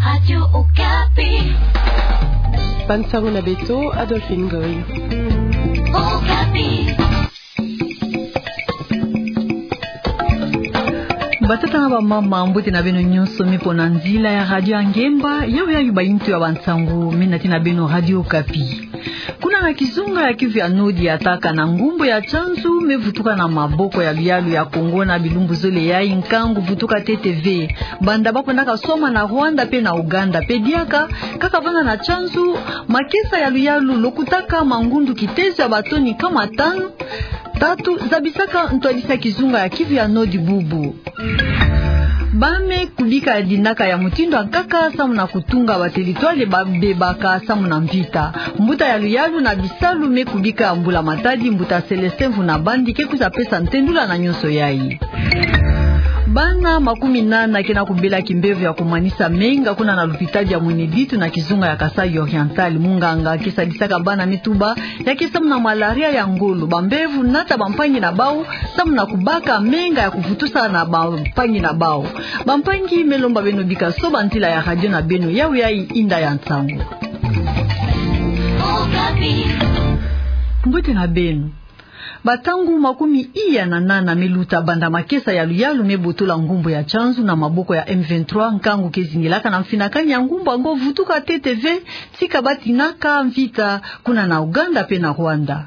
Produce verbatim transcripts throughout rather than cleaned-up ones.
Radio Okapi. Bansango na beto, Adolphine Ngoy. Okapi. Batata na bamama, mbote na beno nyonso me pona nzila ya Radio Ngemba, yau ya bayintu ya bansango, me nati na beno Radio Okapi. Kuna na kizunga ya Kivu ya Nord, attaque na ngumbu ya Tchanzu me vutuka na maboko ya luyalu ya Congo na bilumbu zole yai, nkangu vutuka ntete ve. Banda bakwendaka soma na Rwanda pe na Ouganda pe diaka, kaka vana na Tchanzu, makesa ya luyalu lokutaka mangundu kitezo ya batoni nkama tanu, tatu, zabisaka ntwadisi ya kizunga ya Kivu ya Nord bubu. Ba me kubika dinaka ya mutindu ya nkaka samu na kutunga ba territoire ba bebaka samu na mvita. Mbuta ya luyalu na bisalu me kubika mbula matadi, mbuta Célestin Mvuna Bandi, ke kwiza pesa ntendula na nyonso yai. Bana makumi nana ke na kubela kimbevo ya kumanisa menga kuna na lupitadi ya Mweneditu na kizunga ya Kasaï Oriental. Munganga ke sadisaka bana me tuba ya ke samu na malaria ya ngolo. Bambevo nata bampangi na bau samu na kubaka menga ya kuvutusa na bampangi na bau. Bampangi, me lomba beno bika soba ntila ya radio na beno, yau yai inda ya nsangu. Mbote na beno. Bantangu makumi iya na nana me luta banda makesa ya luyalu me botola ngumbu ya Tchanzu na maboko ya M vingt-trois, nkangu ke zingilaka na mfinakani ya ngumbu yango vutuka ntete ve, tika batinaka mvita kuna na Ouganda pe na Rwanda.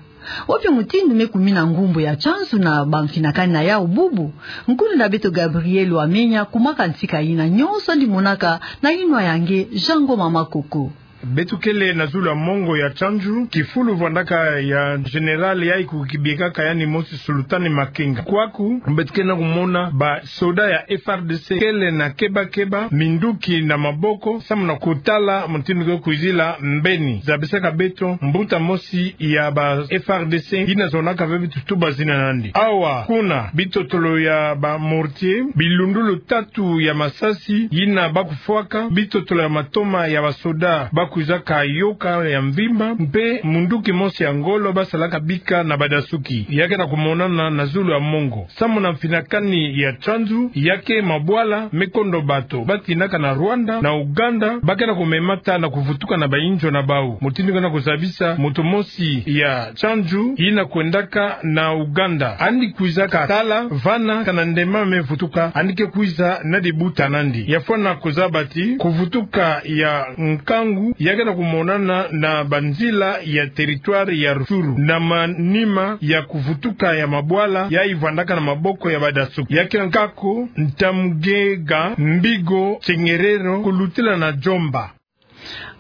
Wapi mutindu me kumina ngumbu ya Tchanzu na bamfinakani na yau bubu? Nkulu na beto Gabriel Wamenya kumaka ntika yina. Nyonso yandi monaka na yinwa ya nge Jean Ngoma Makoko. Beto kele na zulu ya mongo ya Tchanzu, kifulu vwandaka ya général yai ko kibiekaka yandi mosi Sultani Makenga. Kwaku beto kele na kumona ba soda ya F R D C kele na keba-keba, minduki na maboko, samu na kutala mutindu ke kwizila mbeni. Zabisaka beto mbuta mosi ya ba F R D C yina zonaka ve bitutuba zina na yandi. Awa kuna bitotolo ya ba mortier, bilundulu tatu ya masasi yina ba kufwaka, bitotolo ya matoma ya ba soda ba kwizaka yoka ya mvimba, mpe munduki mosi ya ngolo ba salaka bika na badasuki. Ya ke na kumonana na zulu ya mongo. Samu na mfinakani ya Tchanzu, ya ke mabwala me kondo bato batinaka na Rwanda, na Ouganda, ba ke na kumemata na kuvutuka na bayinzo na bau. Mutindu ke na kuzabisa moto mosi ya Tchanzu yina kwendaka na Ouganda. Yandi kwizaka tala vana kana ndemba me vutuka, yandi ke kwiza na dibuta na yandi. Ya fwana kuzaba ti kuvutuka ya nkangu ya ke na kumonana na banzila ya territoire ya Rutshuru, na manima ya kuvutuka ya mabwala yai vwandaka na maboko ya badasuki. Ya ke nkaka ko Ntamugega, Mbigo, Chengerero, kulutila na Djomba.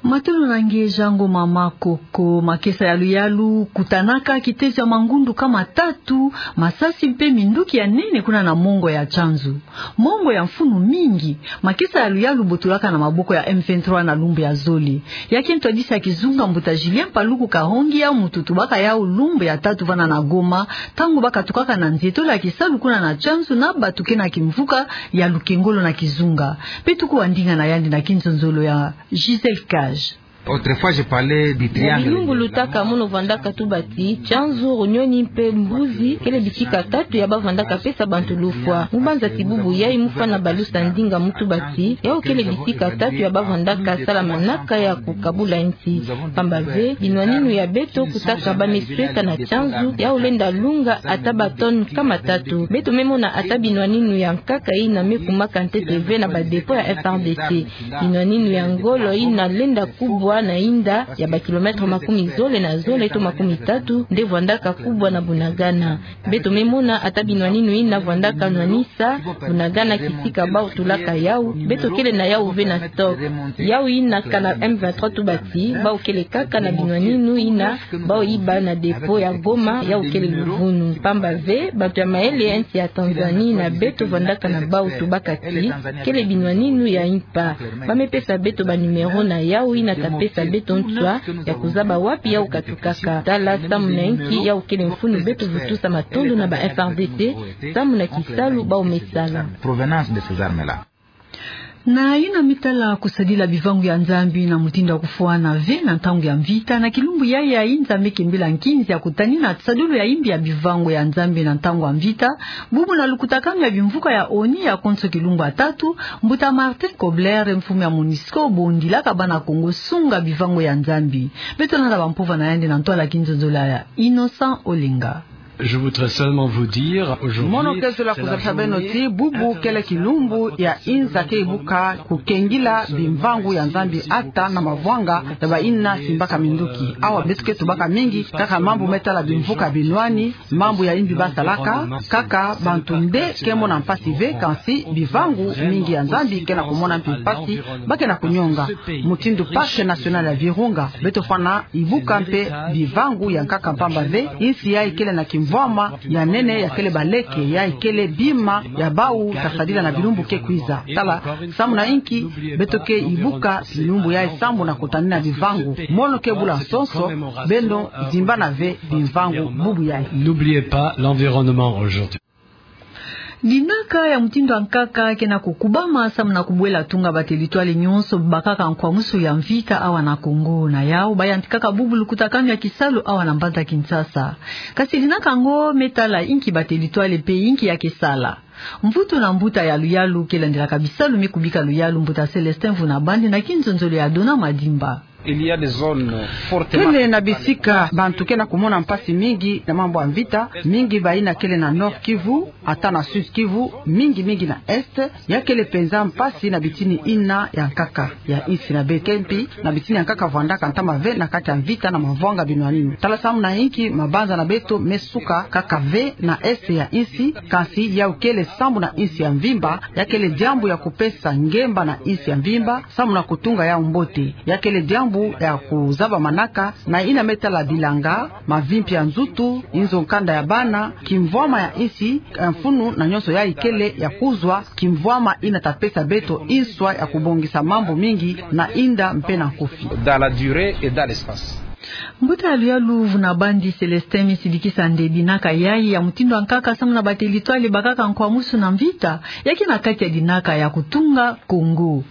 Matondo na nge Jean Ngoma Makoko. Makesa ya luyalu kutanaka kitezo ya mangundu nkama tatu, masasi mpe minduki ya nene kuna na mongo ya Tchanzu. Mongo ya mfunu mingi, makesa ya luyalu botolaka na maboko ya M vingt-trois na lumbu ya zole. Ya ke ntwadisi ya kizunga mbuta Julien Paluku Kahongi ya mututu baka yau lumbu ya tatu vana na Goma, ntangu ba katukaka na nzetola ya kisalu kuna na Tchanzu na bato ke na kimvuka ya lukengolo na kizunga. Beto kuwa ndinga na yandi na kinzonzolo ya Gisèle Cage. Autrefois, je parlais du triangle. Na bilumbu lutaka, mono vwandaka tuba ti Tchanzu, Runyoni mpe Mbuzi kele bisika tatu ya ba vwandaka pesa bantu lufwa. Mu banza ti bubu yai mu fwana balusa ndinga mu tuba ti yau kele bisika tatu ya ba vwandaka sala manaka ya kukabula nsi. Pamba ve, binwaninu ya beto kutaka ba me sweka na Tchanzu, yau lenda lunga ata ba tonne nkama tatu. Beto me mona ata binwaninu ya nkaka yina me kumaka ntete ve na ba dépôt ya F R D C. Binwaninu ya ngolo yina lenda kubwa na yinda ya ba kilomètre makumi zole na zole to makumi tatu, nde vwandaka kubwa na Bunagana. Beto me mona ata binwaninu yina vwandaka nwanisa Bunagana, kisika bau tulaka yau, beto kele na yau ve na stock. Yau yina kana M vingt-trois tuba ti bau kele kaka na binwaninu yina bau yiba na dépôt ya Goma, yau kele luvunu. Pamba ve, bato ya mayele ya nsi ya Tanzanie na beto vwandaka na bau tubaka ti kele binwaninu ya impa. Ba me pesa beto ba numéro na yau yina ta pesa beto nswa ya kuzaba wapi yau katukaka. Tala samu na inki yau kele mfunu beto vutusa matondo na ba F R D C, samu na kisalu bau me sala. Provenance de ces armes-là. Na yina me tala kusadila bivangu ya Nzambi na mutindu ya kufwana ve na ntangu ya mvita, na kilumbu yayi ya inza me kembela nkinzi ya kutanina tisadulu ya imbi ya bivangu ya Nzambi na ntangu ya mvita, bubu na lukutakanu ya bimvuka ya ONU ya konso kilumbu ya tatu, mbuta Martin Kobler, mfumu ya MONUSCO, bondilaka bana Kongo sunga bivangu ya Nzambi. Beto landa bampova na yandi na ntwala ya kinzonzolo ya Innocent Olenga. Je voudrais seulement vous dire, aujourd'hui, mono ke zola kuzabisa beno ti bubu kele kilumbu ya inza ke ibuka kukengila bimvangu ya Nzambi ata na mavwanga ya bayina simbaka minduki. Awa beto ke tubaka mingi kaka mambu me tala bimvuka binwani, mambu ya imbi basalaka, kaka bantu nde ke mona mpasi ve, kansi bivangu mingi ya Nzambi ke na kumona mpe mpasi, ba ke na kunyonga. Mutindu Parc National ya Virunga, beto fwana ibuka mpe bivangu ya nkaka mpamba ve, insi yayi kele na kimvwama ya nene, ya kele baleke, yayi kele bima ya bawu ta sadila na bilumbu ke kwiza. Tala, samu na inki beto ke ibuka bilumbu yayi sambu na kutanina bivangu. Mono ke bula nsonso, beno zimbana ve bivangu bubu yayi. N'oubliez pas l'environnement aujourd'hui. Dinaka ya mutindu ya nkaka ke na kukubama samu na kubwela tunga batelitwale nyonso bakaka nkwamusu ya mvita awa na Kongo. Na yawu, bayantikaka bubu lukutakanu ya kisalu awa na mbanza Kinshasa. Kasi dinaka yango me tala inki batelitwale mpe inki ya ke sala. Mvutu na mbuta ya luyalu ke landilaka bisalu me kubika luyalu, mbuta Célestin Vunabandi, na kinzonzolo ya Dona Madimba. Il y a des zones fortement... Kele na bisika bantu ke na kumona mpasi mingi na mambu ya mvita, mingi bayina kele na Nord Kivu, ata na Sud Kivu, mingi mingi na Est, ya kele penza mpasi na bitini yina ya nkaka ya insi na beto ke mpi, na bitini ya nkaka vwandaka ntama ve na kati ya mvita na mavwanga binwaninu. Tala samu na inki mabanza na beto me suka kaka ve na Est ya insi, kansi yawu kele sambu na insi ya mvimba, ya kele diambu ya kupesa ngemba na insi ya mvimba, samu na kutunga yawu mbote. Ya kele diambu ya kuzaba manaka na yina me tala bilanga, mavimpi ya nzutu, inzo nkanda ya bana, kimvwama ya insi, mfunu na nyonso yayi kele ya kuzwa, kimvwama yina ta pesa beto inswa ya kubongisa mambu mingi na inda mpe na nkufi. Dans la durée et dans l'espace. Mbuta ya luyalu Vunabandi Célestin me sidikisa nde dinaka yayi ya mutindu ya nkaka samu na batelitwale bakaka nkwamusu na mvita, ya ke na kati ya dinaka ya kutunga Kongo.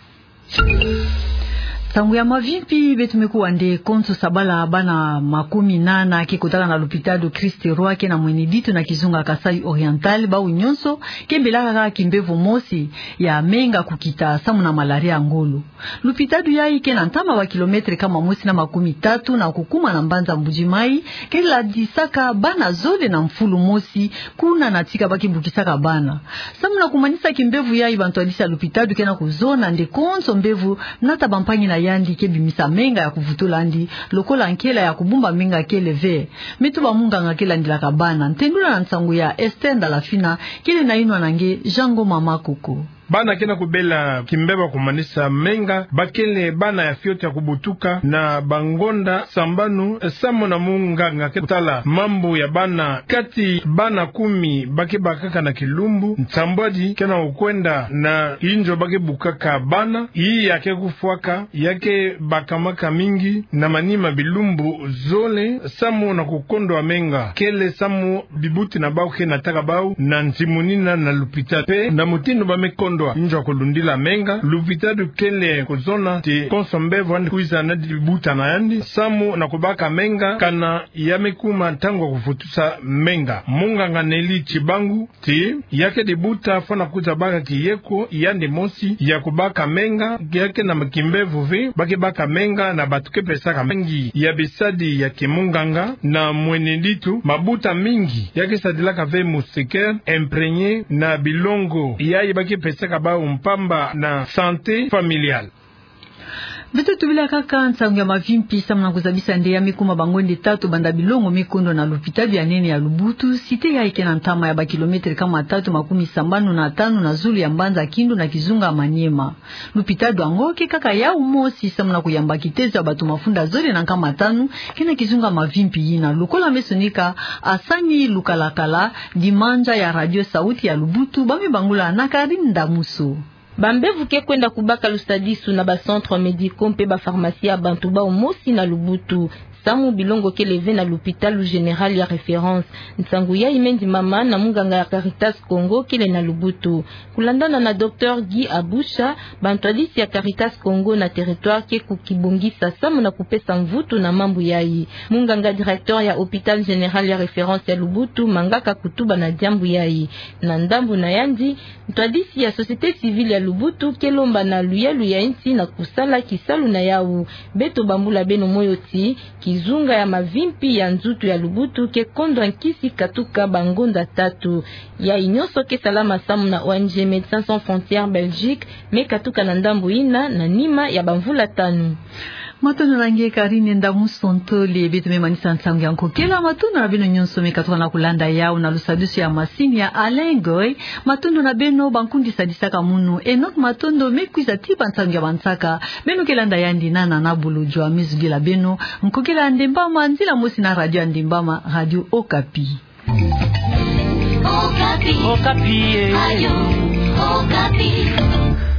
Nsangu ya mavimpi, beto me kuwa nde konso sabala bana makumi nana ke kotaka na lupitalu Christ Roi ke na Mweneditu na kizunga Kasaï Oriental, bawu nyonso ke bebelaka kimbevo mosi ya menga kukita samu na malaria ya ngolo. Lupitalu yayi ke na ntama ba kilometre kama mosi na makumi tatu na kukuma na mbanza Mbuji-Mayi, ke landisaka bana zole na mfulu mosi, kuna na tika ba ke bukisaka bana. Samu na kumanisa kimbevo yayi, bantu ya lisi ya lupitalu ke na kuzona nde konso mbevo nata bampangi na yandi ke bimisa menga ya kuvutula yandi, lokola nkela ya kubumba menga kele ve. Me tuba munganga ke landilaka bana. Ntendula na nsangu ya Esther Ndalafina, kele nayinwa na nge Jean Ngoma Makoko. Bana ke na kubela kimbevo ya kumanisa menga, ba kele bana ya fioti ya kubutuka na bangonda sambanu, samu na munganga ke tala mambu ya bana. Kati bana kumi ba ke bakaka na kilumbu, nsambwadi ke na kukwenda na inzo ba ke bukaka bana, yi ya ke kufwaka, ya ke bakamaka mingi na manima bilumbu zole, samu na kukondwa menga, kele samu bibuti na bawu ke nataka bawu na nzimunina na lupitalu. Mpe na mutindu ba me kondwa inzo ya kulundila menga, lupitalu kele kuzona ti konso mbevo yandi kwiza na dibuta na yandi, samu na kubaka menga, kana ya me kuma ntangu ya kuvutusa menga. Munganga Nelly Tshibangu ti ya ke dibuta fwana kwiza baka kiyeko yandi mosi ya kubaka menga, ya ke na kimbevo ve ba ke baka menga na bantu ke pesaka menga ya bisadi ya kimunganga na Mweneditu. Mabuta mingi ya ke sadilaka ve moustiquaire imprégné na bilongo yayi ba ke pesaka bawu mpamba na santé familiale. Beto tubila kaka nsangu ya mavimpi samu na kuzabisa nde ya me kuma bangonda tatu banda bilongo me kondwa na lupitalu ya nene ya Lubutu, site yayi ke na ntama ya ba kilometre kama tatu makumi sambanu na tanu na zulu ya mbanza Kindu na kizunga Maniema. Lupitalu yango ke kaka yawu mosi samu na kuyamba kitezo ya bantu mafunda zole na nkama tanu ke na kizunga mavimpi yina, lokola me sonika Asani Lukalakala, dimandza ya Radio Sauti ya Lubutu, ba me bangula na Karine Damuso. Bambevo ke kwenda kubaka lusadisu na ba centres médicaux mpe ba pharmacies ya bantu bawu mosi na Lubutu. samu bilongo kele ve na lupitalu général ya référence. Nsangu yayi me ndimama na munganga ya Caritas Congo kele na Lubutu. Kulandana na Docteur Guy Abusha, bantwadisi ya Caritas Congo na territoire ke kukibongisa samu na kupesa mvutu na mambu yayi. Munganga directeur ya hôpital général ya référence ya Lubutu mangaka kutuba na diambu yayi. Na ndambu na yandi, ntwadisi ya société civile ya Lubutu ke lomba na luyalu ya insi na kusala kisalu na yawu. Beto bambula beno moyo ti kizunga ya mavimpi ya nzutu ya Lubutu ke kondwa nkisi katuka bangonda tatu. Yayi nyonso ke salama samu na O N G Médecins Sans Frontières Belgique, me katuka na ndambu yina na nima ya bamvula tanu. Matondo na nge Karine Ndamu Sontole, beto me manisa nsangu ya nkokela. Matondo na beno nyonso me katuka na kulanda yawu na lusadusu ya masini ya Alain Goy. Matondo na beno bankundi sadisaka munu. Enoch Matondo me kwiza ti ba nsangu ya bansaka. Beno ke landa yandi na Nana Bulujo. Amizugila beno. Nkokela ya Ndembama, nzila mosi na radio ya Ndembama, Radio Okapi. Okapi. Okapi, eh. Radio Okapi.